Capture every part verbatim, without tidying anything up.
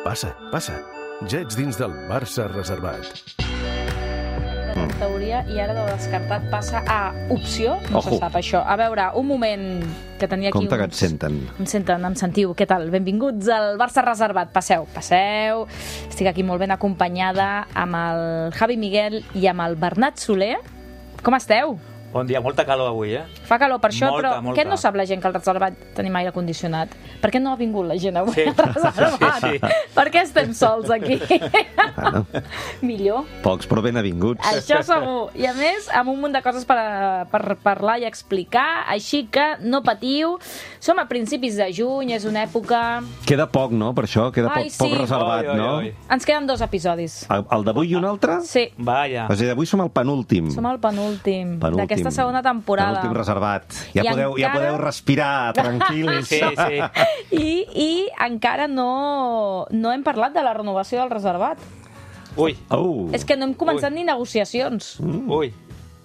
Passa, passa. Ja ets dins del Barça reservat. En teoria, i ara de descartat passa a opció, no Ojo. se sap això. A veure, un moment que tenia aquí... Compte que et uns... senten. Em senten, em sentiu. Què tal? Benvinguts al Barça reservat. Passeu, passeu. Estic aquí molt ben acompanyada amb el Javi Miguel i amb el Bernat Soler. Com esteu? Bon dia, molta calor avui, eh? Fa calor per això, Molta, però molta. què no sap la gent que al reservat tenim aire condicionat? Per què no ha vingut la gent avui Sí. al reservat? Sí, sí. Per què estem sols aquí? Bueno, Millor. pocs però ben avinguts. Això segur. I a més, amb un munt de coses per, per parlar i explicar, així que no patiu. Som a principis de juny, és una època... Queda poc, no?, per això? Queda Ai, poc, poc sí. reservat, Oi, oi, no? oi. Ens queden dos episodis. El, el d'avui i un altre? Sí, Vaja. O sigui, d'avui som el penúltim. som al penúltim, Penúltim. d'aquesta segona temporada. Penúltim reservat. Ja I podeu, ja encara- podeu respirar, tranquils. Sí, sí. I, I encara no, no hem parlat de la renovació del reservat. Ui, Oh. És que no hem començat Ui. ni negociacions. ui.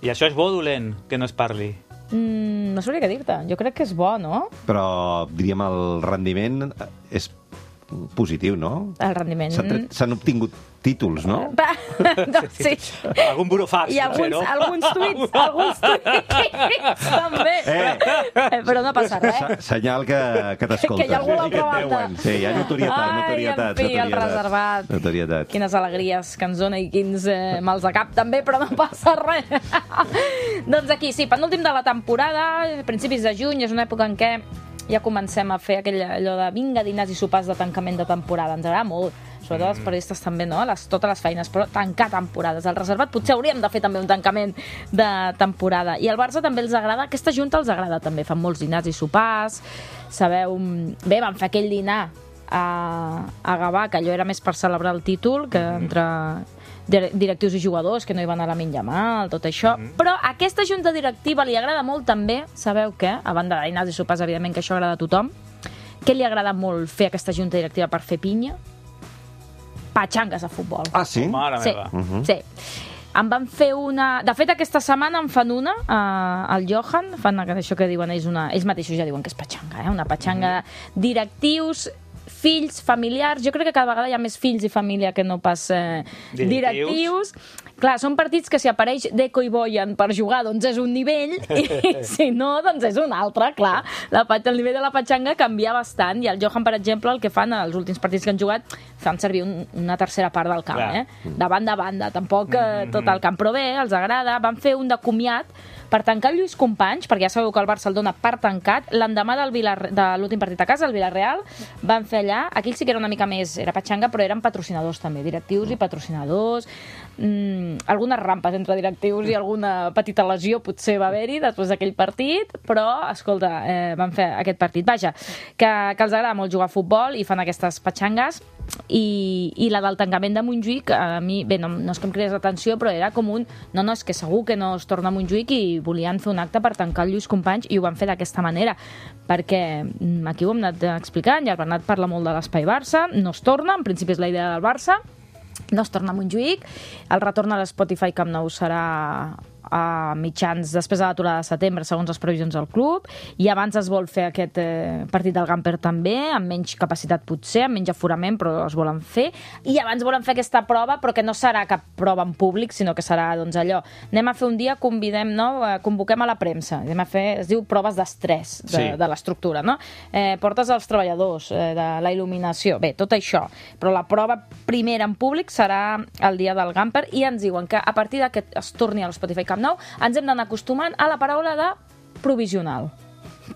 I això és bo o dolent, que no es parli? Mm, no sabria què dir-te. Jo crec que és bo, no? Però, diríem, el rendiment és positiu, no? El rendiment... S'han tret- S'han obtingut títols, no? Va, no, sí. Algun burofax, I alguns, potser, no? alguns tuits, alguns tuits també. Eh. Eh, però no passa res. Se- Senyal que, que t'escolten. Que hi ha algú a l'altra que et banda. veuen. Sí, hi ha notorietat, Ai, notorietat. en fi, el notorietat. reservat. Notorietat. Quines alegries que ens dona i quins eh, mals de cap també, però no passa res. Doncs aquí, sí, penúltim de la temporada, principis de juny, és una època en què ja comencem a fer aquell, allò de vinga, dinars i sopars de tancament de temporada. Ens agrada molt, sobretot els periodistes també, no? Les, totes les feines, però tancar temporades. Al reservat potser hauríem de fer també un tancament de temporada. I al Barça també els agrada, aquesta junta els agrada també, fan molts dinars i sopars, sabeu... Bé, van fer aquell dinar a, a Gavà, que allò era més per celebrar el títol, que entre dir- directius i jugadors, que no hi van a la minja mal, tot això. Però a aquesta junta directiva li agrada molt també, sabeu què? A banda de dinars i sopars, evidentment que això agrada a tothom. Què li agrada molt fer a aquesta junta directiva per fer pinya? Patxangues a futbol. Ah, sí? Mare Sí, meva. sí. Em van fer una... De fet, aquesta setmana en fan una, eh, al Johan, fan això que diuen ells, una... ells mateixos ja diuen que és patxanga, eh? Una patxanga directius, fills, familiars. Jo crec que cada vegada hi ha més fills i família que no pas eh, directius. Directius. Clar, són partits que si apareix Deco i Boyan per jugar, doncs és un nivell, i si no, doncs és un altre, clar. La, pat- el nivell de la patxanga canvia bastant, i el Johan, per exemple, el que fan als últims partits que han jugat, fan servir un, una tercera part del camp, Clar. eh? De banda a banda, tampoc eh, tot el camp, però bé, els agrada. Van fer un de comiat per tancar el Lluís Companys, perquè ja sabeu que el Barça el dona per tancat, l'endemà del Vilar... de l'últim partit a casa, el Villarreal, van fer allà, aquell sí que era una mica més, era patxanga, però eren patrocinadors també, directius i patrocinadors, mm, algunes rampes entre directius i alguna petita lesió potser va haver-hi després d'aquell partit, però, escolta, eh, van fer aquest partit. Vaja, que, que els agrada molt jugar a futbol i fan aquestes patxangues, i, i la del tancament de Montjuïc, a mi, bé, no, no és que em cridés l'atenció, però era com un, no, no, és que segur que no es torna a Montjuïc i volien fer un acte per tancar el Lluís Companys i ho van fer d'aquesta manera, perquè mm, aquí ho hem anat explicant, ja el Bernat parla molt de l'espai Barça, no es torna, en principi és la idea del Barça, no es torna a Montjuïc, el retorn a l'Spotify Camp Nou serà a mitjans després de l'aturada de setembre, segons les previsions del club, i abans es vol fer aquest eh, partit del Gamper també, amb menys capacitat potser, amb menys aforament, però es volen fer, i abans volen fer aquesta prova, però que no serà cap prova en públic, sinó que serà, doncs, allò, anem a fer un dia, convidem, no?, eh, convoquem a la premsa, anem a fer, es diu proves d'estrès de, Sí. de l'estructura, no? Eh, portes als treballadors, eh, de la il·luminació, bé, tot això, però la prova primera en públic serà el dia del Gamper, i ens diuen que a partir de que es torni a l'Spotify Camp Nou, ens hem d'anar acostumant a la paraula de provisional.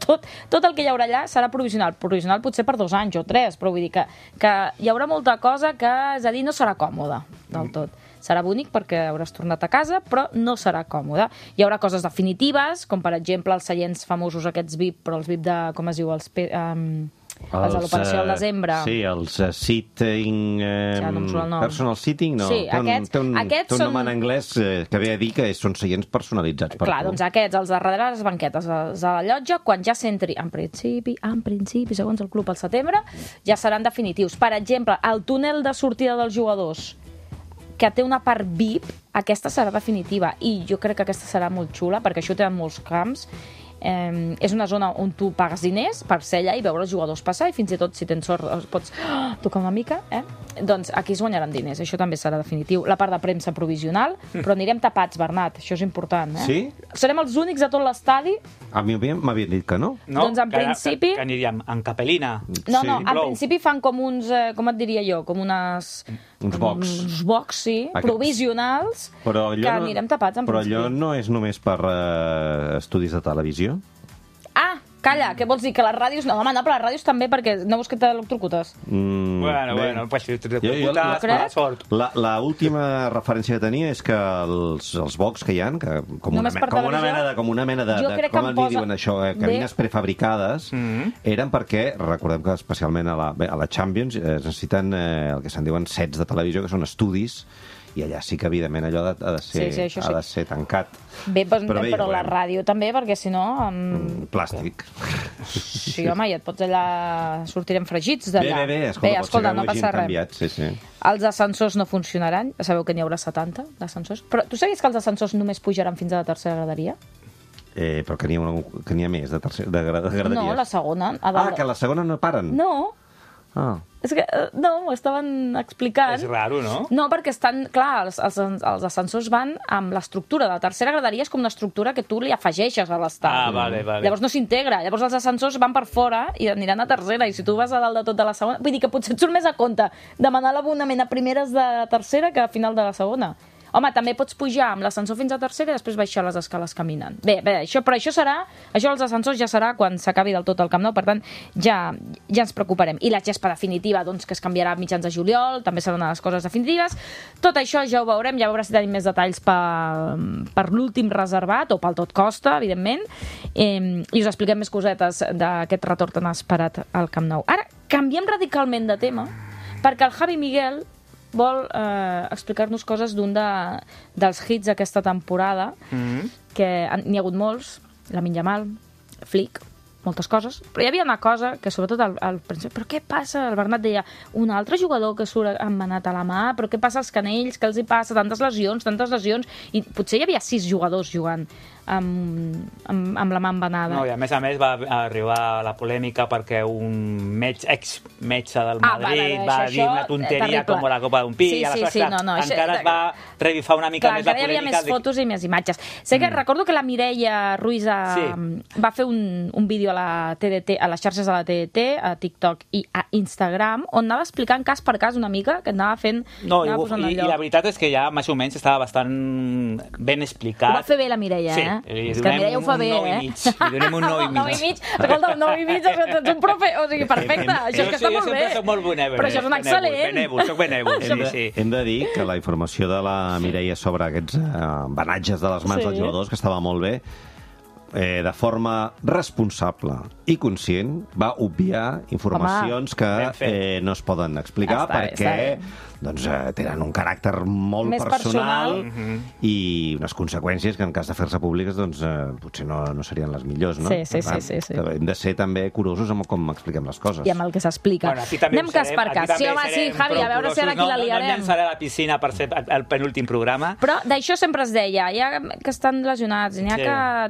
Tot, tot el que hi haurà allà serà provisional. Provisional potser per dos anys o tres, però vull dir que, que hi haurà molta cosa que, és a dir, no serà còmoda del tot. Serà bonic perquè hauràs tornat a casa, però no serà còmode. Hi haurà coses definitives, com per exemple els seients famosos aquests V I P, però els V I P de, com es diu, els... Um, els de l'operació al eh, desembre. Sí, els uh, sitting... Eh, Ja no em surt el nom. personal sitting, no. Sí, té un, aquests- té un, aquests té un nom són- en anglès eh, que ve a dir que són seients personalitzats per Clar, tu. doncs aquests, els de darrere les banquetes, els de la llotja, quan ja s'entri, en principi, en principi, segons el club al setembre, ja seran definitius. Per exemple, el túnel de sortida dels jugadors, que té una part V I P, aquesta serà definitiva, i jo crec que aquesta serà molt xula, perquè això té en molts camps, Eh, és una zona on tu pagues diners per ser allà i veure els jugadors passar, i fins i tot, si tens sort, els pots oh, tocar una mica, eh? Doncs aquí es guanyaran diners, això també serà definitiu. La part de premsa provisional, però anirem tapats, Bernat, això és important, eh? Sí? Serem els únics a tot l'estadi. A mi m'havien dit que no. No? Doncs en que, principi- Que, que aniríem en capelina. No, Sí. no, en Plou. principi fan com uns, eh, com et diria jo, com unes... Uns box. Uns box, sí, Aquests. provisionals, Però allò que no- anirem tapats en Però principi. allò no és només per eh, estudis de televisió? Ah, calla, què vols dir? Que les ràdios... No, home, no, però les ràdios també, perquè no vols que t'electrocutes. Mm, Bueno, bé. bueno, pues si te Jo- jo- preocupas, la- mala sort. La, la última referència que tenia és que els, els box que hi ha, que com, una, Només me- per com una televisió? mena de, com una mena de, Jo de crec que com em en posa- diuen això, eh, cabines Bé. prefabricades, Mhm. eren perquè, recordem que especialment a la, bé, a la Champions eh, es necessiten eh, el que se'n diuen sets de televisió, que són estudis, i allà sí que, evidentment, allò ha de, ha de, ser, Sí, sí, això ha sí. de ser tancat. Bé, doncs, Però però, bé, però ja la veurem. ràdio també, perquè si no... Um... Plàstic. Sí, home, i et pots allà... Sortirem fregits Bé, d'allà. bé, bé, escolta, bé, pot escolta, ser que no ho hagin passa res. canviat, sí, sí. Els ascensors no funcionaran. Sabeu que n'hi haurà setanta d'ascensors. Però tu sabies que els ascensors només pujaran fins a la tercera graderia? Eh, però que n'hi ha, una, que n'hi ha més de, tercer, de, gra- de graderies. No, la segona. A Ah, dalt... que la segona no paren? No, Ah. és que eh, no, m'ho estaven explicant. És raro, no? No, perquè estan, clar, els, els, els ascensors van amb l'estructura. La tercera graderia és com una estructura que tu li afegeixes a l'estat. Ah, vale, vale. Llavors no s'integra. Llavors els ascensors van per fora i aniran a tercera. I si tu vas a dalt de tot de la segona... Vull dir que potser et surt més a compte demanar l'abonament a primeres de tercera que a final de la segona. Home, també pots pujar amb l'ascensor fins a tercera i després baixar les escales caminant. Bé, bé, això, però això serà... Això dels ascensors ja serà quan s'acabi del tot el Camp Nou, per tant, ja, ja ens preocuparem. I la gespa definitiva, doncs, que es canviarà a mitjans de juliol, també serà una de les coses definitives. Tot això ja ho veurem, ja veurem si tenim més detalls per, per l'últim reservat, o pel tot costa, evidentment, eh, i us expliquem més cosetes d'aquest retorn tan esperat al Camp Nou. Ara, canviem radicalment de tema, perquè el Javi Miguel vol eh, explicar-nos coses d'un de, dels hits d'aquesta temporada, Mhm. que han- n'hi ha hagut molts, la Minyamal, Flick, moltes coses, però hi havia una cosa que sobretot al, al principi, però què passa? El Bernat deia, un altre jugador que surt emmanat a la mà, però què passa als canells, què els hi passa? Tantes lesions, tantes lesions, i potser hi havia sis jugadors jugant amb, amb, amb la mà embanada. No, i a més a més va arribar la polèmica perquè un metge, ex-metge del Ah, Madrid vale, vale, va això- dir una això, tonteria terrible. com la copa d'un pi, Sí, i aleshores, sí, sí, clar, no, no, això- encara es va revifar una mica Clar, més la encara hi havia polèmica. més fotos i més imatges. Sé que mm. recordo que la Mireia Ruiz a, Sí. va fer un, un vídeo a la T D T, a les xarxes de la T D T, a TikTok i a Instagram, on anava explicant cas per cas una mica, que anava fent... No, i, anava posant i, al i lloc. la veritat és que ja més o menys estava bastant ben explicat. Ho va fer bé la Mireia, Sí, eh? li És que la donem Mireia ho fa un bé, nou i eh? mig, li donem un nou i mig. nou i mig. Escolta, un nou i mig, és que ets un profe... O sigui, perfecte, això és que està jo molt sempre bé. soc molt benèvol. Però això és un benèvol, excel·lent. Benèvol, soc benèvol, Hem sí, de, sí. hem de dir que la informació de la Mireia sobre aquests eh, embenatges de les mans Sí. dels jugadors, que estava molt bé, eh, de forma responsable i conscient, va obviar informacions que ben fet. eh, no es poden explicar Està bé, perquè està bé. doncs, eh, tenen un caràcter molt Més personal, personal. i unes conseqüències que en cas de fer-se públiques doncs, eh, potser no, no serien les millors. No? Sí, sí, Per tant, sí, sí, sí. Hem de ser també curosos amb com expliquem les coses. I amb el que s'explica. Bueno, aquí també Anem ho cas serem, per aquí cas. també Sí, home, sí, serem Javi, a veure si ara aquí prou la curosos. No, no liarem. em llançaré a la piscina per ser el, el penúltim programa. Però d'això sempre es deia, hi ha que estan lesionats, n'hi ha Sí.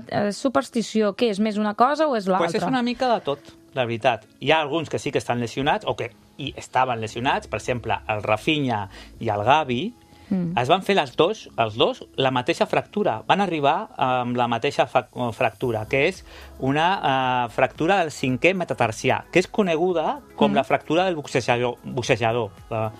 que... Eh, superstició, què és, més una cosa o és l'altra? Pues és una mica de tot, la veritat. Hi ha alguns que sí que estan lesionats, o que i estaven lesionats, per exemple, el Rafinha i el Gavi, mm. es van fer les dos, els dos la mateixa fractura. Van arribar amb la mateixa fa fractura, que és una uh, fractura del cinquè metatarsià, que és coneguda com mm. la fractura del boxejador. boxejador. Uh,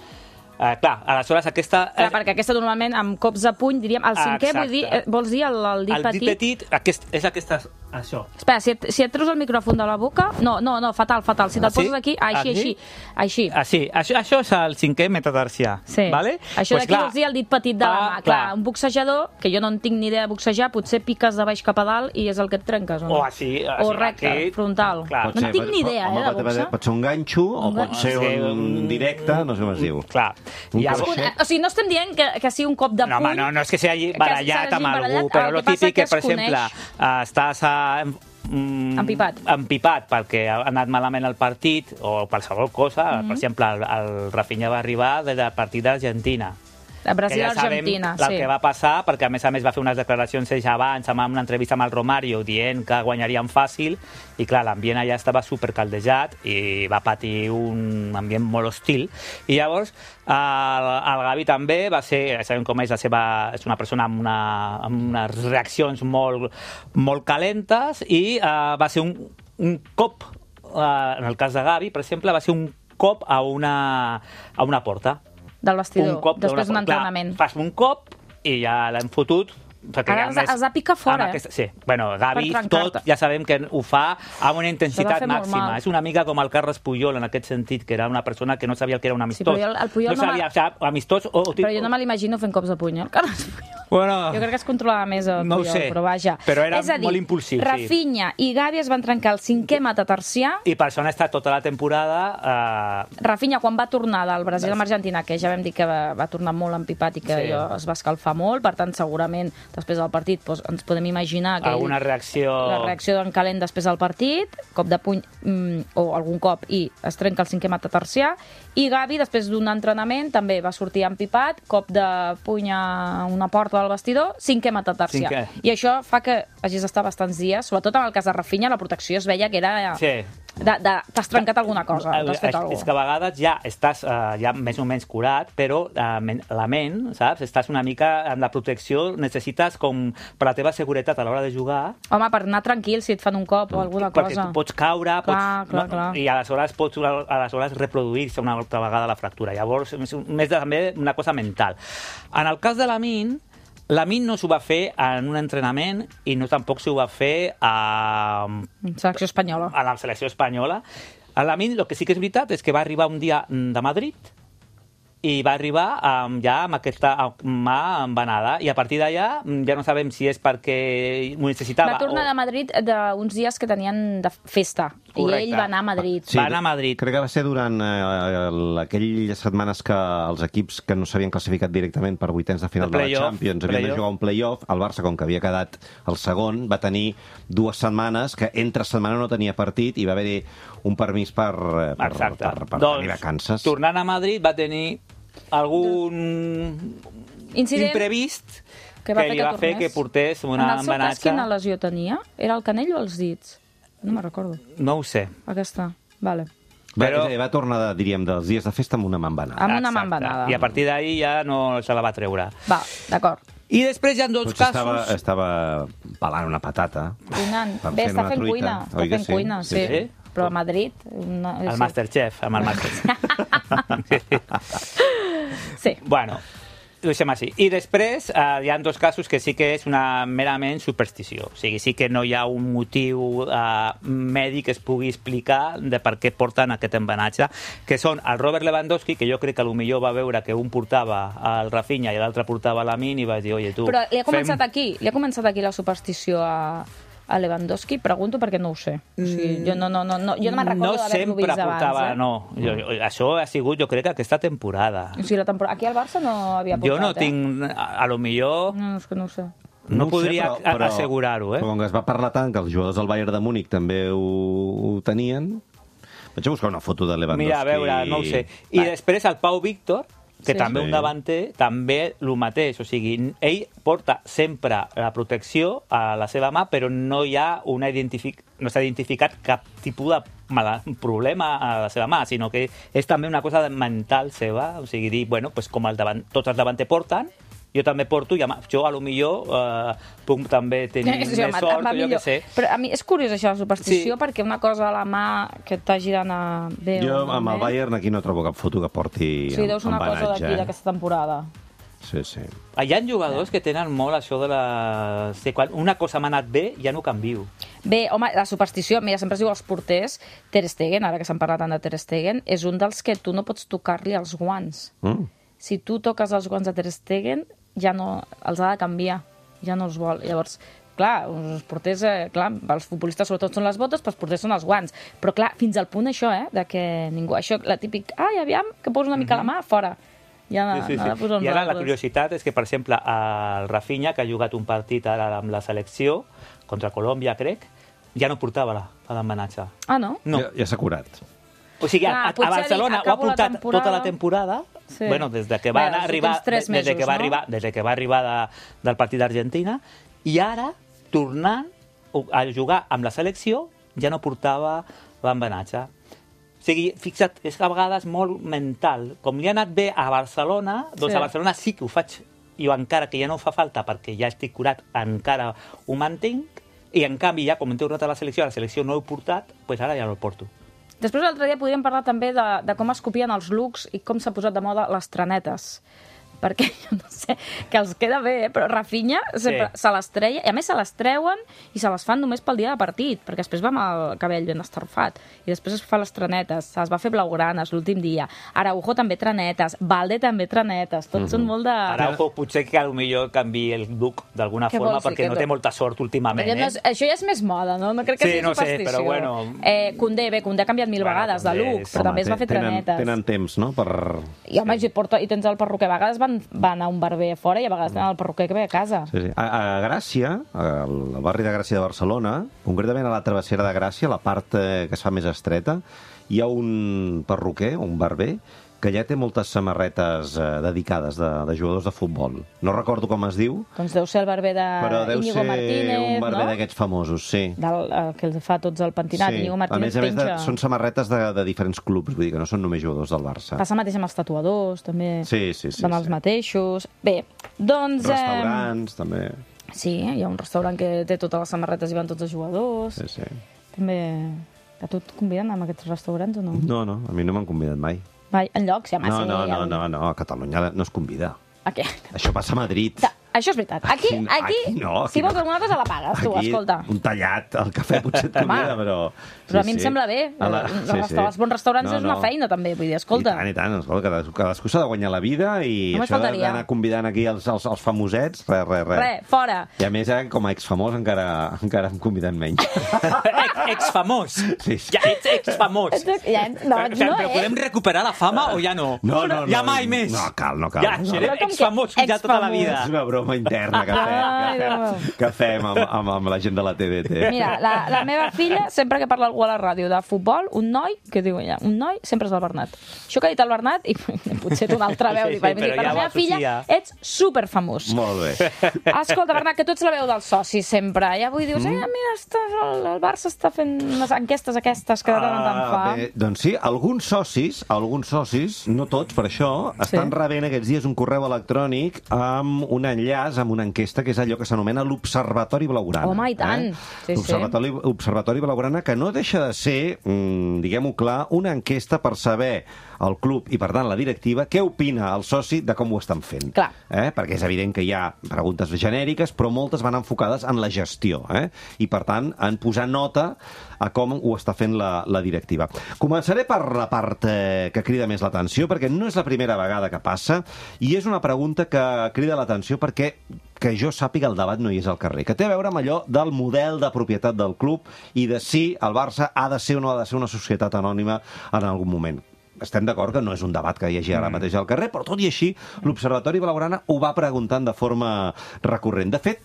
Uh, clar, aleshores aquesta... Clar, perquè aquesta normalment amb cops de puny, diríem, el cinquè, Exacte. vull dir, eh, vols dir el, el dit el petit? dit petit aquest, és aquesta... Això. Espera, si et, si et treus el micròfon de la boca... No, no, no, fatal, fatal. Si te'l Ah, sí? poses aquí, així, Aquí? així, així. Ah, sí, això, això és el cinquè metatarsià. Sí. Vale? Això Pues d'aquí clar, vols dir el dit petit de la ah, mà. Clar, un boxejador, que jo no en tinc ni idea de boxejar, potser piques de baix cap a dalt i és el que et trenques, o no? O així, O així, recte, aquí. frontal. Clar. No en tinc ni idea, home, eh, de pot, boxa. pot ser un ganxo o Un pot gan- ser Sí, un un- directe, no sé com es diu. Clar. Un I Un, llavors- crochet. o sigui, no estem dient que, que sigui un cop de No, puny... home, no, no és que s'hagi que barallat s'hagi amb algú, barallat, però el el que passa típic que, que per es exemple, coneix. eh, estàs a, mm, Empipat. empipat perquè ha anat malament el partit o qualsevol cosa. Mhm. Per exemple, el, el Rafinha va arribar del partit d'Argentina Brasil-Argentina, sí. El sí. que va passar, perquè a més a més va fer unes declaracions ells abans, amb una entrevista amb el Romario, dient que guanyarien fàcil, i clar, l'ambient allà estava supercaldejat i va patir un ambient molt hostil. I llavors, el, el Gavi també va ser, sabem com és la seva... És una persona amb, una, amb unes reaccions molt, molt calentes i uh, va ser un, un cop, uh, en el cas de Gavi, per exemple, va ser un cop a una, a una porta. Del vestidor, un cop després d'un entrenament. Clar, fas un cop i ja l'hem fotut. Ara els, els ha picat fora, aquesta, sí. Bueno, Gavi, per tot, ja sabem que ho fa amb una intensitat màxima. És una mica com el Carles Puyol, en aquest sentit, que era una persona que no sabia el que era un amistós. Sí, però jo, el Puyol no sabia, no sap, amistós o... Però jo no me l'imagino fent cops de puny, el Carles Puyol. Bueno, jo crec que es controlava més el no Puyol, sé, però vaja. Però era és a dir, molt impulsiu, sí. Rafinha i Gavi es van trencar el cinquè metatarsià. I per això han estat tota la temporada... Eh... Rafinha, quan va tornar del Brasil amb Argentina, que ja vam dir que va, va tornar molt empipat i que Sí. allò es va escalfar molt, per tant, segurament, després del partit, doncs, ens podem imaginar que Alguna ell, reacció... la reacció d'en Calent després del partit, cop de puny mm, o algun cop, i es trenca el cinquè metatarsià. I Gavi, després d'un entrenament, també va sortir empipat, cop de puny a una porta del vestidor, cinquè metatarsià. Cinquè. I això fa que hagis d'estar bastants dies, sobretot en el cas de Rafinha, la protecció es veia que era... Sí. De, de, t'has trencat alguna cosa, t'has fet alguna cosa. És que a vegades ja estàs uh, ja més o menys curat, però uh, la ment, saps? Estàs una mica amb la protecció, necessites com per la teva seguretat a l'hora de jugar. Home, per anar tranquil si et fan un cop o alguna perquè cosa. Perquè tu pots caure, clar, pots, clar, clar. i aleshores pots aleshores reproduir-se una altra vegada la fractura. Llavors, és més també una cosa mental. En el cas de l'Amin, l'Amin no s'ho va fer en un entrenament i no tampoc s'ho va fer a... Selecció espanyola. A la selecció espanyola. A l'Amin, el que sí que és veritat és que va arribar un dia de Madrid i va arribar um, ja amb aquesta mà embanada i a partir d'allà ja no sabem si és perquè ho necessitava va tornar o... de Madrid d'uns dies que tenien de festa. Correcte. I ell va anar a Madrid. Sí, va anar a Madrid. Crec que va ser durant eh, aquelles setmanes que els equips que no s'havien classificat directament per vuitens de final de la Champions havien de jugar un play-off. El Barça, com que havia quedat el segon, va tenir dues setmanes que entre setmana no tenia partit i va haver-hi un permís per, per, Exacte. per, per doncs, tenir vacances. Tornant a Madrid va tenir algun incident imprevist que, va que fer li que va fer tornés. que portés una en el seu cas, embenatge. quina lesió tenia? Era el canell o els dits? No me'n recordo. No ho sé. Aquesta, vale. Però... Però- Va, va tornar, de, diríem, dels dies de festa amb una mà embenada. Amb una mà Exacte. embenada. I a partir d'ahir ja no se la va treure. Va, d'acord. I després hi ha dos Potser casos... estava, estava pelant una patata. Cuinant. Per Bé, fer està una fent truita. cuina. Està Oi que fent sí? cuina, sí. Sí, sí. Però a Madrid... Una... El sí. Masterchef, amb el Masterchef. Sí. Bueno, ho deixem així. I després eh, hi ha dos casos que sí que és una merament superstició. O sigui, sí que no hi ha un motiu eh, mèdic que es pugui explicar de per què porten aquest embenatge, que són el Robert Lewandowski, que jo crec que potser va veure que un portava el Rafinha i l'altre portava l'Amin i va dir, oye, tu... Però li ha començat fem... aquí, li ha començat aquí la superstició a, a Lewandowski? Pregunto perquè no ho sé. O sigui, jo no, no, no, no, jo no me'n recordo d'haver-lo vist abans. portava, eh? no. Jo, jo, això ha sigut, jo crec, aquesta temporada. O sigui, la temporada... Aquí al Barça no havia portat, Jo no eh? tinc... A, a lo millor... No, és que no ho sé. No, No ho sé, podria però- però- assegurar-ho, eh? Però com que es va parlar tant que els jugadors del Bayern de Múnich també ho, ho tenien... Vaig a buscar una foto de Lewandowski. Mira, a veure, no ho sé. I Va. després el Pau Víctor, que Sí. també Sí. un davanter, també el mateix. O sigui, ell porta sempre la protecció a la seva mà, però no hi ha una identific... no s'ha identificat cap tipus de mala... problema a la seva mà, sinó que és també una cosa mental seva. O sigui, dir, bueno, pues com el davant... tots els davanter porten, jo també porto, i a jo a lo millor eh, puc també tenir Sí, més home, sort, va o jo millor. què sé. Però a mi és curiós això, la superstició, Sí. perquè una cosa a la mà que t'hagi d'anar bé Jo o amb el malament... Bayern aquí no trobo cap foto que porti Sí, deu ser una cosa embenatge, d'aquí, eh? d'aquesta temporada. Sí, sí. Hi ha jugadors que tenen molt això de la... Sí, quan una cosa m'ha anat bé, ja no canvio. Bé, home, la superstició, mira, sempre es diu als porters, Ter Stegen, ara que s'han parlat tant de Ter Stegen, és un dels que tu no pots tocar-li els guants. Mm. Si tu toques els guants de Ter Stegen, ja no, els ha de canviar, ja no els vol. Llavors, clar, els porters, eh, clar, els futbolistes sobretot són les botes, però els porters són els guants. Però clar, fins al punt això, eh, de que ningú... Això, la típic, ai, aviam, que poso una mica la mà, fora. Ja no, Sí, sí, no ha de sí. posar I ara la nosaltres. curiositat és que, per exemple, el Rafinha, que ha jugat un partit ara amb la selecció, contra Colòmbia, crec, ja no portava la- l'embenatge. Ah, no? No. Ja, ja s'ha curat. O sigui, Clar, a, a potser ha dit, Barcelona ho ha acabo la portat temporada. tota la temporada, Sí. Bueno, des de que va Bé, els arribar, últims tres des de mesos, que va no? arribar, des de que va arribar de, del partit d'Argentina, i ara, tornant a jugar amb la selecció, ja no portava l'embenatge. O sigui, fixa't, és a vegades molt mental. Com li ha anat bé a Barcelona, doncs Sí. a Barcelona sí que ho faig, i encara que ja no fa falta perquè ja estic curat, encara ho mantinc, i en canvi ja, com hem tornat a la selecció, a la selecció no ho he portat, doncs ara ja no el porto. Després, l'altre dia podríem parlar també de, de com es copien els looks i com s'ha posat de moda les trenetes. Perquè, jo no sé, que els queda bé, eh? Però Rafinha sempre Sí. se les treia, i a més se les treuen i se les fan només pel dia de partit, perquè després va amb el cabell ben estarfat, i després es fa les trenetes, se les va fer blaugranes l'últim dia. Araujo també trenetes, Valde també trenetes, tots mm -hmm. són molt de... Araujo potser que potser canvi el look d'alguna Què forma vols dir, perquè que no no? té molta sort últimament, Perquè no eh? és, això ja és més moda, no? No crec que Sí, sigui no sé, superstició. però bueno. Eh, Koundé, bé, Koundé ha canviat mil Bueno, vegades de Koundé look, és- però també es va fer tenen, trenetes. tenen temps, no?, per... I, home, si, porta, i tens el perruquer. A vegades van, van a un barber a fora i a vegades tenen el perruquer que ve a casa. Sí, sí. A, a Gràcia, al barri de Gràcia de Barcelona, concretament a la travessera de Gràcia, la part eh, que es fa més estreta, hi ha un perruquer, un barber, que ja té moltes samarretes eh, dedicades de, de jugadors de futbol. No recordo com es diu, Doncs deu ser el barber però deu d'Iñigo ser Martínez, un barber no? d'aquests famosos, sí. Del, el que els fa tots el pentinat. Sí. Iñigo A Martínez més a més, de, penja... són samarretes de, de diferents clubs, vull dir que no són només jugadors del Barça. Passa el mateix amb els tatuadors, també. Sí, sí, sí. Van els sí. mateixos. Bé, doncs... Restaurants, també. Eh, sí, hi ha un restaurant que té totes les samarretes i van tots els jugadors. Sí, sí. També... A tu et conviden a aquests restaurants o no? No, no, a mi no m'han convidat mai. Mai, enlloc, si a No, Massa... no, no, no, no, a Catalunya no es convida. A què? Això passa a Madrid. Ta- Això és veritat. Aquí, Aquí- aquí, aquí no, aquí si vols no. alguna cosa la pagues, tu, Aquí, escolta. un tallat, el cafè potser et convida, però... Però a mi em sembla bé. A la- Els, sí, resta- sí. els bons restaurants No, és una no. feina, també. Vull dir, escolta. I tant, i tant. Escolta, cadascú, cadascú s'ha de guanyar la vida i Només això de- faltaria. d'anar convidant aquí els, els, els famosets, res, res, res. Re, fora. I a més, eh, com a exfamós encara, encara em conviden menys. Ex, ex-famós. Sí, sí. Ja ets ex-famós. Ja, no, Però, no, però eh? podem recuperar la fama o ja no? No, no, no. Ja mai més. No, cal, no cal. Ja, no. serem Però com que ex-famosos ja tota la ex-famós? vida. És una broma interna que fem, Ai, que Déu fem, que fem amb, amb, amb la gent de la T D T. Mira, la, la meva filla, sempre que parla algú a la ràdio de futbol, un noi, que diu ella, un noi, sempre és el Bernat. Això que ha dit el Bernat, i potser té una altra veu, Sí, sí, per, però per ja la ho meva filla, associa. ets superfamós. Molt bé. Escolta, Bernat, que tu ets la veu dels socis sempre. Ja avui dius, eh, mira, està, el, el Barça està fent unes enquestes aquestes que de tant en tant fa. Ah, bé, doncs sí, alguns socis, alguns socis, no tots per això, estan Sí. rebent aquests dies un correu electrònic amb un enllaç, amb una enquesta, que és allò que s'anomena l'Observatori Blaugrana. Home, i tant. Eh? Sí, sí. L'Observatori Observatori Blaugrana, que no deixa de ser, mm, diguem-ho clar, una enquesta per saber el club i, per tant, la directiva, què opina el soci de com ho estan fent. Clar. Eh? Perquè és evident que hi ha preguntes genèriques, però moltes van enfocades en la gestió, eh? I, per tant, en posar nota a com ho està fent la, la directiva. Començaré per la part eh, que crida més l'atenció, perquè no és la primera vegada que passa, i és una pregunta que crida l'atenció perquè que jo sàpiga el debat no hi és al carrer, que té a veure amb allò del model de propietat del club i de si el Barça ha de ser o no ha de ser una societat anònima en algun moment. Estem d'acord que no és un debat que hi hagi ara mateix al carrer, però tot i així l'Observatori Blaugrana ho va preguntant de forma recurrent. De fet,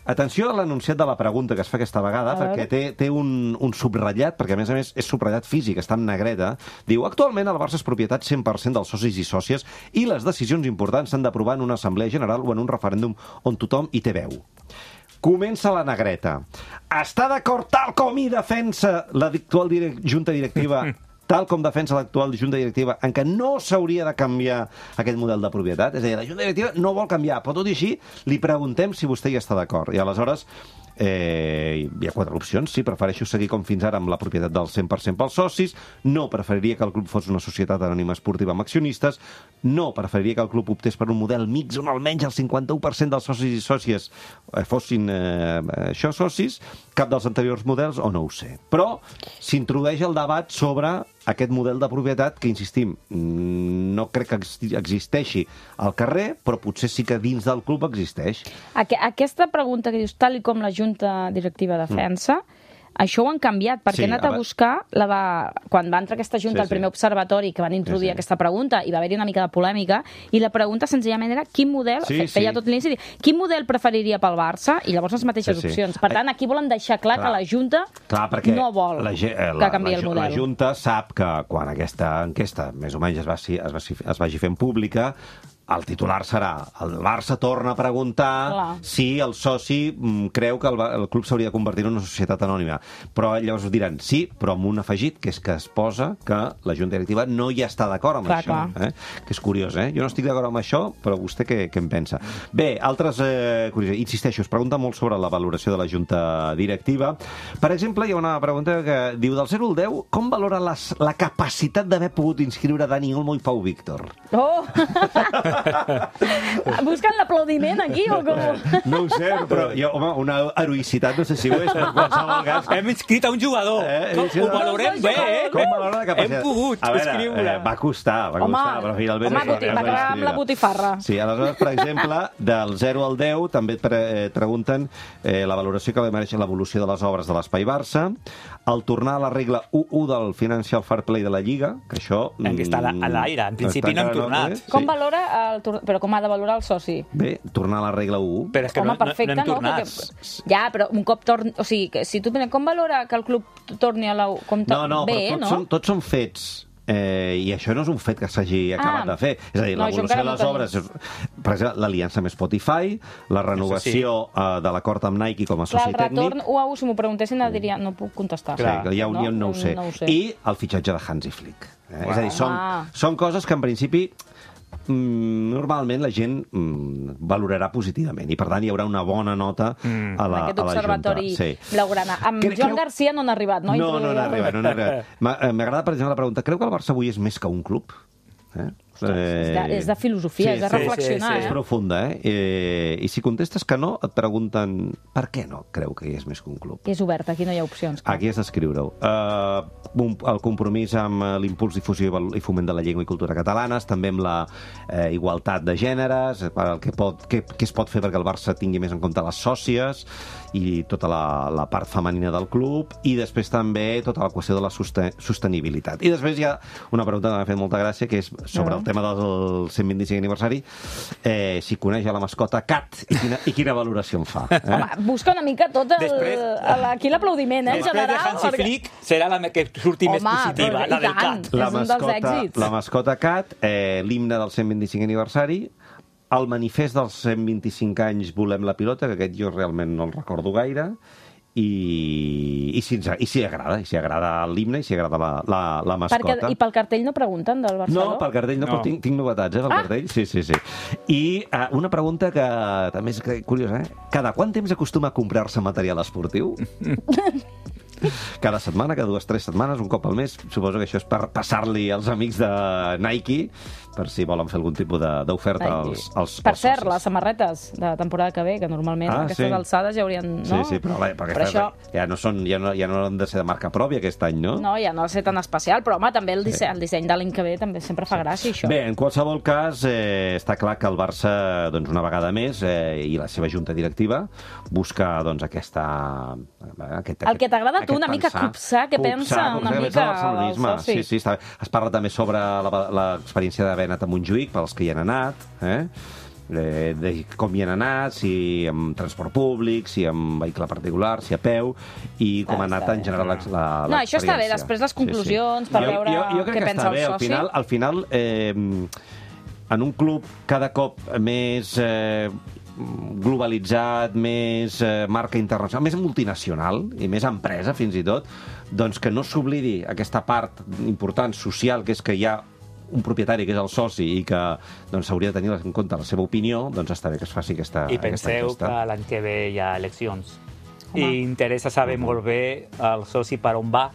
atenció a l'enunciat de la pregunta que es fa aquesta vegada, A perquè veure. té, té un, un subratllat, perquè a més a més és subratllat físic, està en negreta. Diu, actualment el Barça és propietat cent per cent dels socis i sòcies i les decisions importants s'han d'aprovar en una assemblea general o en un referèndum on tothom hi té veu. Comença la negreta. Està d'acord tal com hi defensa l'actual direc junta directiva tal com defensa l'actual junta directiva, en què no s'hauria de canviar aquest model de propietat? És a dir, la junta directiva no vol canviar, però tot i així li preguntem si vostè hi està d'acord. I aleshores eh, hi ha quatre opcions. Sí, prefereixo seguir com fins ara amb la propietat del cent per cent pels socis, no preferiria que el club fos una societat anònima esportiva amb accionistes, no preferiria que el club optés per un model mix on almenys el cinquanta-u per cent dels socis i sòcies eh, fossin eh, això socis, cap dels anteriors models o no ho sé. Però s'introdueix el debat sobre aquest model de propietat que, insistim, no crec que existeixi al carrer, però potser sí que dins del club existeix. Aqu aquesta pregunta que dius, tal i com la Junta Directiva defensa, mm. Això ho han canviat, perquè Sí, he anat a ara- buscar la de... quan va entrar aquesta junta, Sí, el primer sí. observatori, que van introduir Sí, sí. aquesta pregunta, i va haver-hi una mica de polèmica, i la pregunta senzillament era quin model, Sí, fe- feia sí. tot l'inici, dir, quin model preferiria pel Barça, i llavors les mateixes Sí, sí. opcions. Per tant, aquí volen deixar clar, Clar. que la Junta Clar, perquè no vol la, ge- eh, que la, canviï la, el ju- model. La Junta sap que quan aquesta enquesta més o menys es, va, es, va, es vagi fent pública, el titular serà el Barça torna a preguntar Clar. si el soci mm, creu que el, Ba- el club s'hauria de convertir en una societat anònima. Però llavors diran sí, però amb un afegit, que és que es posa que la Junta Directiva no hi està d'acord amb Clar, això. Eh? Que és curiós, eh? Jo no estic d'acord amb això, però vostè què, què en pensa? Bé, altres eh, curiositats. Insisteixo, es pregunta molt sobre la valoració de la Junta Directiva. Per exemple, hi ha una pregunta que diu del zero al deu, com valora les, la capacitat d'haver pogut inscriure Dani Olmo i Pau Víctor? Oh! Busquen l'aplaudiment aquí o com? No ho sé, però jo, home, una heroïcitat no sé si ho és, però en qualsevol cas... Hem inscrit a un jugador. Eh, Com, sí, ho no. valorem bé, eh? Com valora la capacitat? Hem pogut a veure, escriure. Eh, va costar, va Home, costar, però finalment... home, es va- boti- es va acabar amb escriure. la botifarra. Sí, aleshores, per exemple, del zero al deu també et pre eh, pregunten eh, la valoració que li mereix l'evolució de les obres de l'Espai Barça, el tornar a la regla u u del Financial Fair Play de la Lliga, que això... En què està a l'aire, en principi no hem Està encara, tornat. eh? Com Sí. valora el tor- però com ha de valorar el soci? Bé, tornar a la regla u u. Però és que Home, no, no, perfecte, no hem no? tornat. Perquè- Ja, però un cop torni... O sigui, que si tu... Com valora que el club torni a la... Com to- No, no, Bé, però tots, no? són, tots són fets. Eh, I això no és un fet que s'hagi acabat Ah. de fer. És a dir, No, això l'evolució encara de no les tenim. obres... És, per exemple, l'aliança amb Spotify, la renovació eh, de l'acord amb Nike com a Clar, soci el tècnic... retorn u a u, si m'ho preguntessin, et diria, no puc contestar. Sí, que hi ha un, no? no, ho sé. No ho sé. I el fitxatge de Hansi Flick. Eh? És a dir, són, Ah. són coses que en principi mm, normalment la gent mm, valorarà positivament i per tant hi haurà una bona nota Mm. a la, Aquest a la observatori Junta. Sí. blaugrana. Amb Cre- Joan creu- Garcia no n'ha arribat, no? No, no n'ha Introduir- arribat, no n'ha arribat. M'ha- eh, M'agrada, per exemple, la pregunta. Creu que el Barça avui és més que un club? Eh? És de, és de filosofia, és de sí, reflexionar, sí, sí. És eh? profunda, eh? eh? I si contestes que no, et pregunten per què no creu que és més que un club. És obert, aquí no hi ha opcions. clar. Aquí has d'escriure-ho. Uh, el compromís amb eh, l'impuls, difusió i val- i foment de la llengua i cultura catalanes, també amb la eh, igualtat de gèneres, per el que, pot, què, què es pot fer perquè el Barça tingui més en compte les sòcies i tota la, la part femenina del club, i després també tota la qüestió de la soste sostenibilitat. I després hi ha una pregunta que m'ha fet molta gràcia, que és sobre el tema del cent vint-i-cinc aniversari, eh, si coneix a la mascota Cat i quina, i quina valoració en fa. Eh? Home, busca una mica tot el, Després- el, aquí l'aplaudiment, eh, en Després de general. Hansi perquè- Flick serà la que surti més Home, positiva, però la i del tant. Cat. La És un dels mascota, èxits. la mascota Cat, eh, l'himne del cent vint-i-cinc aniversari, el manifest dels cent vint-i-cinc anys Volem la pilota, que aquest jo realment no el recordo gaire, i, i, si, ens, i si agrada, i si agrada l'himne, i si agrada la, la, la mascota. Perquè, I pel cartell no pregunten del Barcelona? No, pel cartell no, No. però tinc, tinc novetats, eh, pel Ah. cartell. Sí, sí, sí. I uh, una pregunta que també és que- curiosa, eh? Cada quant temps acostuma a comprar-se material esportiu? Cada setmana, cada dues, tres setmanes, un cop al mes. Suposo que això és per passar-li als amics de Nike, per si volen fer algun tipus de- d'oferta Ai, als, als, per als cert, socis. les samarretes de temporada que ve, que normalment Ah, a aquestes sí. alçades ja haurien... Sí, No? sí, però, la- perquè però això... ja, no són, ja, no, ja no han de ser de marca pròpia aquest any, no? No, ja no ha de ser tan especial, però home, també el disseny, el disseny de l'any que ve també sempre fa gràcia, això. Bé, en qualsevol cas, eh, està clar que el Barça, doncs, una vegada més, eh, i la seva junta directiva, busca doncs, aquesta... eh, Aquest, El que t'agrada a tu, aquest una mica pensar. copsar, què pensa una que mica pensa el barcelonisme. el soci. Sí, sí, està bé. Es parla també sobre la- l'experiència d'haver anat a Montjuïc, pels que hi han anat, eh? Eh, de com hi han anat, si amb transport públic, si amb vehicle particular, si a peu, i com Està ha anat bé. en general la, la, No, això està bé, l'experiència. després les conclusions, per jo, veure jo, jo crec què que pensa està el bé. Al soci. final, al final eh, en un club cada cop més eh, globalitzat, més eh, marca internacional, més multinacional i més empresa, fins i tot, doncs que no s'oblidi aquesta part important social, que és que hi ha un propietari que és el soci i que doncs, s'hauria de tenir en compte la seva opinió, doncs està bé que es faci aquesta, I aquesta penseu enquesta. que l'any que ve hi ha eleccions. Home. I interessa saber molt bé el soci per on va,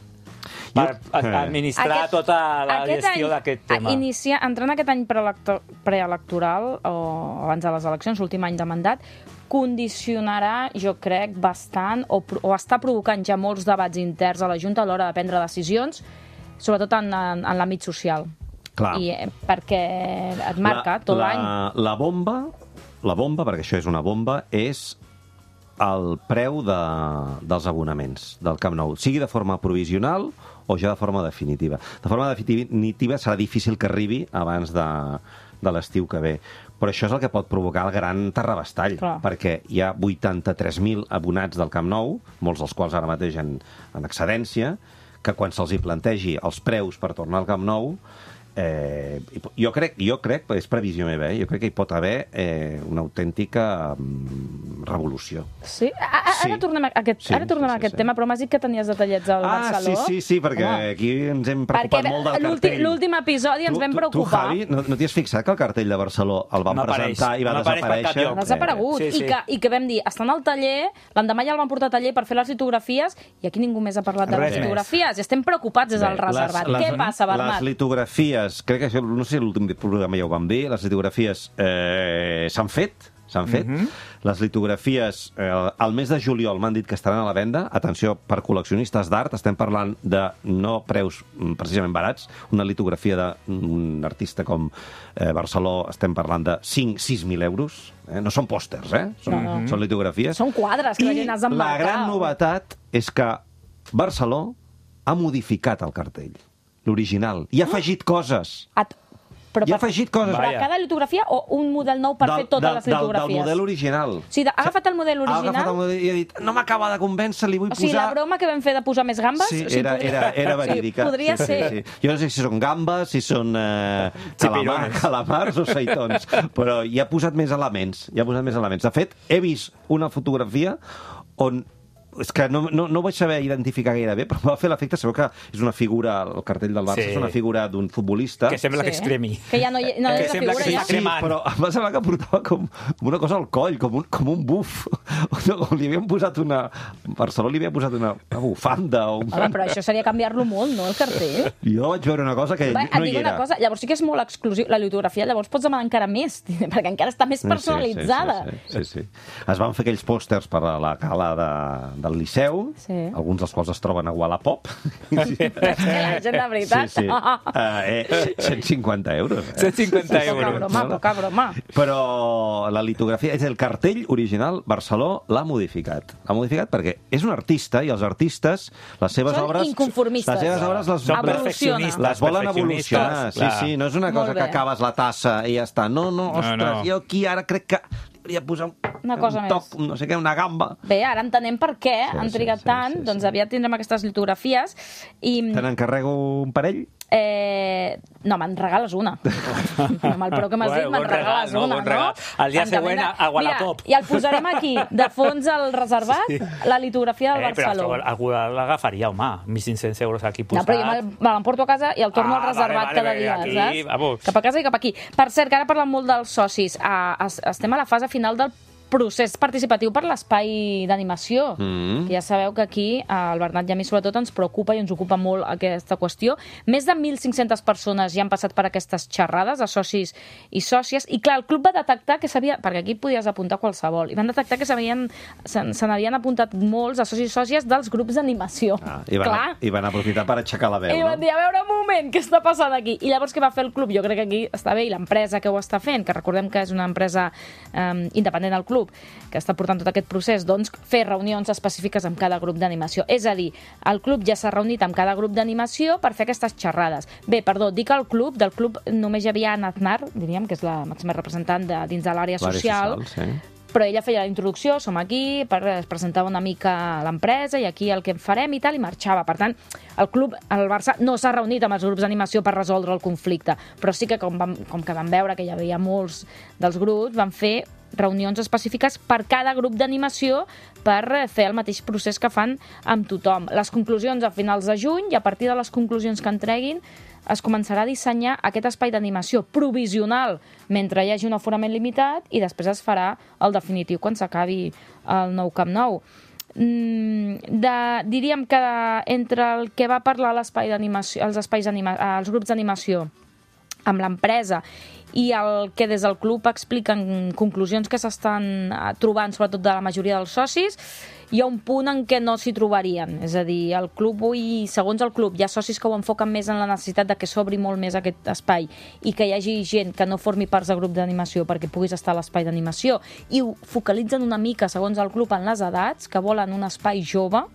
per Jo- a- administrar Aquest- tota la aquest gestió any, d'aquest tema. a Inicia, entrant aquest any preelecto- preelectoral, o abans de les eleccions, l'últim any de mandat, condicionarà, jo crec, bastant, o, pro- o està provocant ja molts debats interns a la Junta a l'hora de prendre decisions, sobretot en, en, en l'àmbit social. Clar. I, eh, perquè et marca tot l'any. La, la bomba, la bomba, perquè això és una bomba, és el preu de, dels abonaments del Camp Nou, sigui de forma provisional o ja de forma definitiva. De forma definitiva serà difícil que arribi abans de, de l'estiu que ve. Però això és el que pot provocar el gran terrabastall, Clar. perquè hi ha vuitanta-tres mil abonats del Camp Nou, molts dels quals ara mateix en, en excedència, que quan se'ls hi plantegi els preus per tornar al Camp Nou, Eh, jo crec, jo crec, és previsió meva, eh? jo crec que hi pot haver eh, una autèntica mm, revolució. Sí? Ara sí. tornem a aquest, sí, ara tornem sí, a aquest sí, tema, però m'has dit que tenies detallets al ah, Barceló. Ah, sí, sí, sí, perquè Home. aquí ens hem preocupat perquè molt del cartell. L'últim episodi ens tu, vam tu, preocupar. Tu, Javi, no, no t'hi has fixat que el cartell de Barceló el van no presentar apareix. i va no desaparèixer? Ha desaparegut. Sí, sí. I, que, I que vam dir, estan al taller, l'endemà ja el van portar a taller per fer les litografies i aquí ningú més ha parlat de Res les més. litografies. I estem preocupats des del reservat. Les, Què les, passa, Bernat? Les litografies, crec que això, no sé si l'últim programa ja ho vam dir, les litografies eh, s'han fet, s'han fet. Mm -hmm. Les litografies, eh, al mes de juliol m'han dit que estaran a la venda. Atenció, per col·leccionistes d'art, estem parlant de no preus precisament barats. Una litografia d'un artista com eh, Barceló, estem parlant de cinc a sis mil euros. Eh? No són pòsters, eh? Són, no, no. són litografies. Són quadres que la gent has d'emmarcar. I la gran novetat és que Barceló ha modificat el cartell, l'original, i ha afegit coses. Et... Però I ha per, afegit coses. Per a cada litografia o un model nou per del, fer totes del, les litografies? Del, del model original. O sigui, ha agafat el model original... Ha agafat el model i ha dit, no m'acaba de convèncer, li vull posar... O sigui, posar... la broma que vam fer de posar més gambes... Sí, o sigui, era, podria... era, era verídica. Sí, podria sí, ser. Sí, sí. Jo no sé si són gambes, si són eh, calamar, calamars o seitons, però hi ha posat més elements. Hi ha posat més elements. De fet, he vist una fotografia on... És que no, no, no ho vaig saber identificar gaire bé, però em va fer l'efecte, sabeu que és una figura, el cartell del Barça sí. és una figura d'un futbolista... Que sembla sí. que es cremi. Que ja no, hi, no que és la sembla figura que ja. sí, però em va semblar que portava com una cosa al coll, com un, com un buf. O li havien posat una... Barcelona li havia posat una, una bufanda o un... Home, però això seria canviar-lo molt, no, el cartell? Jo vaig veure una cosa que Va, no hi era. Una cosa, llavors sí que és molt exclusiu. La litografia llavors pots demanar encara més, perquè encara està més personalitzada. Sí, sí, sí, sí, sí. Es van fer aquells pòsters per a la cala de, del Liceu, sí. alguns dels quals es troben a Wallapop. Sí. És que la gent, de veritat... Sí, sí. Uh, eh, cent cinquanta euros. Eh? cent cinquanta euros. Poca broma, poca broma. Però la litografia, és el cartell original, Barceló l'ha modificat. L'ha modificat perquè és un artista i els artistes, les seves Són obres... inconformistes. Les seves obres les, Són perfeccionistes. les volen evolucionar. Sí, clar. sí, no és una cosa que acabes la tassa i ja està. No, no, ostres, no, no. jo aquí ara crec que hauria de posar un, una cosa un toc, més. no sé què, una gamba. Bé, ara entenem per què sí, han trigat sí, sí, tant, sí, sí, doncs sí. aviat tindrem aquestes litografies. I... Te n'encarrego un parell? Eh... No, me'n regales una. Amb el preu que m'has dit, me'n regales no, una, bon regal. no? El dia següent a, a Wallapop. Mira, i el posarem aquí, de fons al reservat, sí. la litografia del eh, Barceló. Però algú l'agafaria, home, mil cinc-cents euros aquí posat. No, però jo me l'emporto a casa i el torno ah, al reservat vale, vale, cada dia, aquí, saps? Vamos. Cap a casa i cap aquí. Per cert, que ara parlem molt dels socis. Uh, estem a la fase final del procés participatiu per l'espai d'animació, mm. que ja sabeu que aquí al Bernat i a mi sobretot ens preocupa i ens ocupa molt aquesta qüestió. Més de mil cinc-centes persones ja han passat per aquestes xerrades de socis i sòcies, i clar, el club va detectar que s'havia... perquè aquí podies apuntar qualsevol, i van detectar que s'havien se n'havien apuntat molts de socis i sòcies dels grups d'animació. Ah, i, van, clar. I van aprofitar per aixecar la veu, I van no? dir, a veure un moment, què està passant aquí? I llavors què va fer el club? Jo crec que aquí està bé, i l'empresa que ho està fent, que recordem que és una empresa eh, independent del club, que està portant tot aquest procés, doncs fer reunions específiques amb cada grup d'animació. És a dir, el club ja s'ha reunit amb cada grup d'animació per fer aquestes xerrades. Bé, perdó, dic el club, del club només hi havia Anna Aznar, diríem, que és la màxima representant de, dins de l'àrea social, social sí. Però ella feia la introducció, som aquí, per presentar una mica l'empresa i aquí el que farem i tal, i marxava. Per tant, el club, el Barça, no s'ha reunit amb els grups d'animació per resoldre el conflicte, però sí que com, vam, com que vam veure que hi havia molts dels grups, van fer reunions específiques per cada grup d'animació per fer el mateix procés que fan amb tothom. Les conclusions a finals de juny, i a partir de les conclusions que en treguin es començarà a dissenyar aquest espai d'animació provisional mentre hi hagi un aforament limitat, i després es farà el definitiu quan s'acabi el nou Camp Nou. Mm, de, diríem que entre el que va parlar l'espai d'animació, els espais anima, els grups d'animació amb l'empresa i el que des del club expliquen conclusions que s'estan trobant, sobretot de la majoria dels socis, hi ha un punt en què no s'hi trobarien. És a dir, el club avui, segons el club, hi ha socis que ho enfoquen més en la necessitat de que s'obri molt més aquest espai i que hi hagi gent que no formi parts de grup d'animació perquè puguis estar a l'espai d'animació, i ho focalitzen una mica, segons el club, en les edats, que volen un espai jove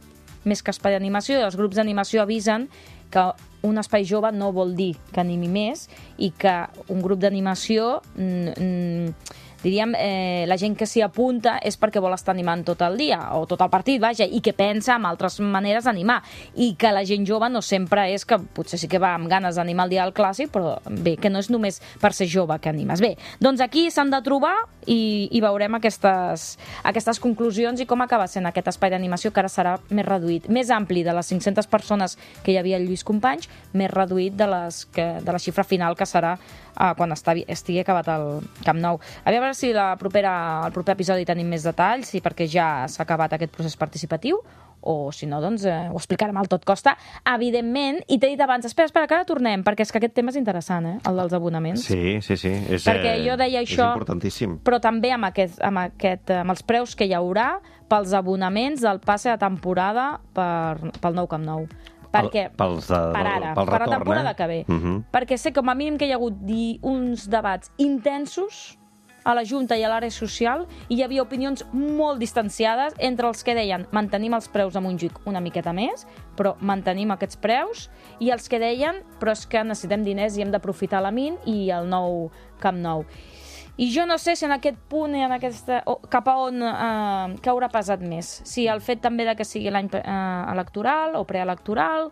més que espai d'animació, i els grups d'animació avisen que un espai jove no vol dir que animi més i que un grup d'animació... Mm, mm, diríem, eh, la gent que s'hi apunta és perquè vol estar animant tot el dia, o tot el partit, vaja, i que pensa en altres maneres d'animar, i que la gent jove no sempre és que, potser sí que va amb ganes d'animar el dia del clàssic, però bé, que no és només per ser jove que animes. Bé, doncs aquí s'han de trobar i, i veurem aquestes, aquestes conclusions i com acaba sent aquest espai d'animació, que ara serà més reduït, més ampli de les cinc-centes persones que hi havia al Lluís Companys, més reduït de, les que, de la xifra final que serà eh, quan estigui acabat el Camp Nou. A veure si la propera, el proper episodi tenim més detalls, i perquè ja s'ha acabat aquest procés participatiu, o si no, doncs eh, ho explicarem al tot costa, evidentment. I t'he dit abans, espera, espera, que ara tornem, perquè és que aquest tema és interessant, eh, el dels abonaments. Sí, sí, sí. És, perquè jo deia això, és importantíssim. Però també amb, aquest, amb, aquest, amb els preus que hi haurà pels abonaments del passe de temporada per, pel nou Camp Nou. Perquè, Pels de, per ara, pel retorn, per la temporada eh? que ve. Uh -huh. Perquè sé com a mínim que hi ha hagut uns debats intensos a la Junta i a l'àrea social, i hi havia opinions molt distanciades entre els que deien mantenim els preus a Montjuïc una miqueta més, però mantenim aquests preus, i els que deien però és que necessitem diners i hem d'aprofitar la Min i el nou Camp Nou. I jo no sé si en aquest punt, en aquesta, o, cap a on eh, que haurà pesat més. Si el fet també de que sigui l'any eh, electoral o preelectoral,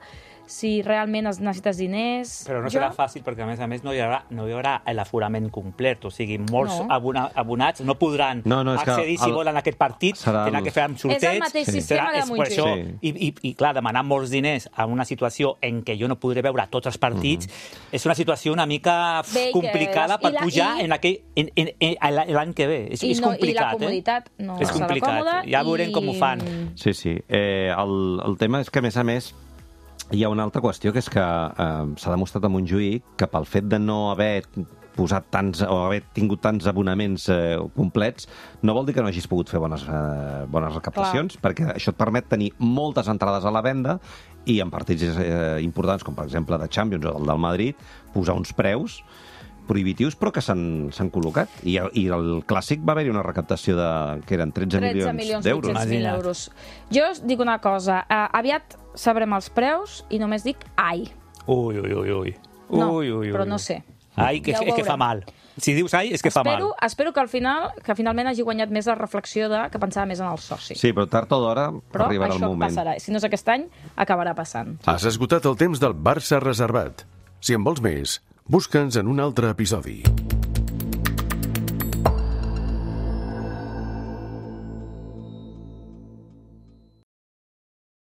si realment necessites diners... Però no jo... serà fàcil, perquè a més a més no hi haurà, no hi haurà l'aforament complet, o sigui, molts no. abona, abonats no podran no, no, accedir si el... volen aquest partit, serà tenen el... que fer amb sorteig... És el mateix sí. sistema serà, de Montjuïc. això, sí. i, i, I clar, demanar molts diners en una situació en què jo no podré veure tots els partits, mm-hmm. és una situació una mica Bé, complicada per la, pujar i... en aquell, en, en, en, l'any que ve. És, I, és no, complicat, i la comoditat eh? no és serà complicat. còmoda. Ja veurem i... com ho fan. Sí, sí. Eh, el, el tema és que, a més a més, hi ha una altra qüestió, que és que eh, s'ha demostrat a Montjuïc que pel fet de no haver posat tants, o haver tingut tants abonaments eh, complets, no vol dir que no hagis pogut fer bones, eh, bones recaptacions, Clar. perquè això et permet tenir moltes entrades a la venda i en partits eh, importants, com per exemple de Champions o el del Madrid, posar uns preus prohibitius, però que s'han col·locat. I, I el Clàssic va haver-hi una recaptació de, que eren tretze milions d'euros. tretze milions euros. Jo us dic una cosa, uh, aviat sabrem els preus i només dic ai. Ui, ui, ui, ui. No, ui, ui, ui. però no sé. Ai, que, ja és que fa mal. Si dius ai, és que espero, fa mal. Espero que al final, que finalment hagi guanyat més la reflexió de que pensava més en el soci. Sí, però tard o d'hora arribarà el moment. Però això passarà. Si no és aquest any, acabarà passant. Has esgotat el temps del Barça reservat. Si en vols més, busca'ns en un altre episodi.